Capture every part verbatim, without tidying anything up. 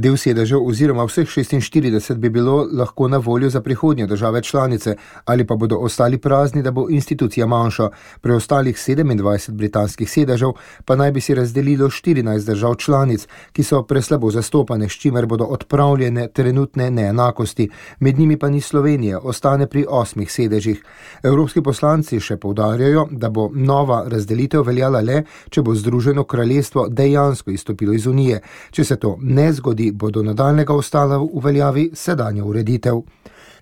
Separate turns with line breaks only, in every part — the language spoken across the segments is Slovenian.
Del sedežev oziroma vseh šestinštirideset bi bilo lahko na voljo za prihodnje države članice, ali pa bodo ostali prazni, da bo institucija manjša. Preostalih sedemindvajset britanskih sedežev pa naj bi si razdelilo štirinajst držav članic, ki so preslabo zastopane, s čimer bodo odpravljene trenutne neenakosti. Med njimi pa ni Slovenije, ostane pri osmih sedežih. Evropski poslanci še poudarjajo, da bo nova razdelitev veljala le, če bo Združeno kraljestvo dejansko izstopilo iz Unije. Če se to ne zgodi, bodo nadaljnega ostala v veljavi sedanja ureditev.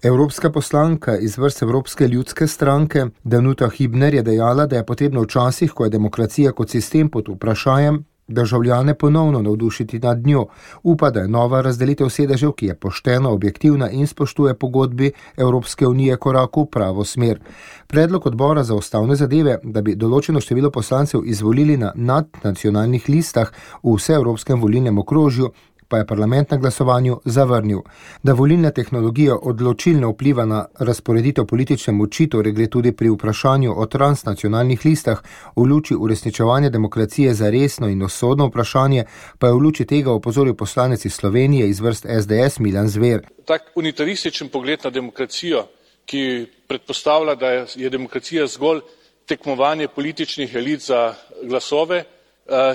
Evropska poslanka iz vrst Evropske ljudske stranke Danuta Hübner je dejala, da je potrebno v časih, ko je demokracija kot sistem pod vprašanjem, državljane ponovno navdušiti nad njo. Upa, da je nova razdelitev sedežev, ki je poštena, objektivna in spoštuje pogodbi Evropske unije, korak v pravo smer. Predlog odbora za ustavne zadeve, da bi določeno število poslancev izvolili na nadnacionalnih listah v vseevropskem volilnem okrožju, pa je parlament na glasovanju zavrnil. Da volilna tehnologija odločilno vpliva na razporeditev politične moči, torej gre tudi pri vprašanju o transnacionalnih listah, v luči uresničevanja demokracije za resno in usodno vprašanje, pa je v luči tega opozoril poslanec iz Slovenije iz vrst es de es Milan Zver.
Tak unitarističen pogled na demokracijo, ki predpostavlja, da je demokracija zgolj tekmovanje političnih elit za glasove,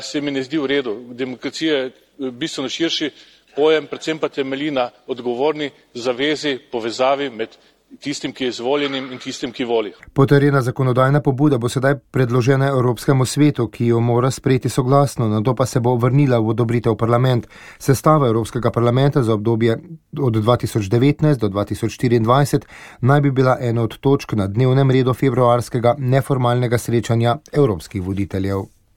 se mi ne zdi v redu. Demokracija je bistveno širši pojem, predvsem pa temelji na odgovorni zavezi, povezavi med tistim, ki je izvoljenim in tistim, ki voli.
Potrjena zakonodajna pobuda bo sedaj predložena Evropskemu svetu, ki jo mora sprejeti soglasno, nato pa se bo vrnila v odobritev parlament. Sestava Evropskega parlamenta za obdobje od dva tisoč devetnajst do dva tisoč štiriindvajset naj bi bila ena od točk na dnevnem redu februarskega neformalnega srečanja evropskih voditeljev.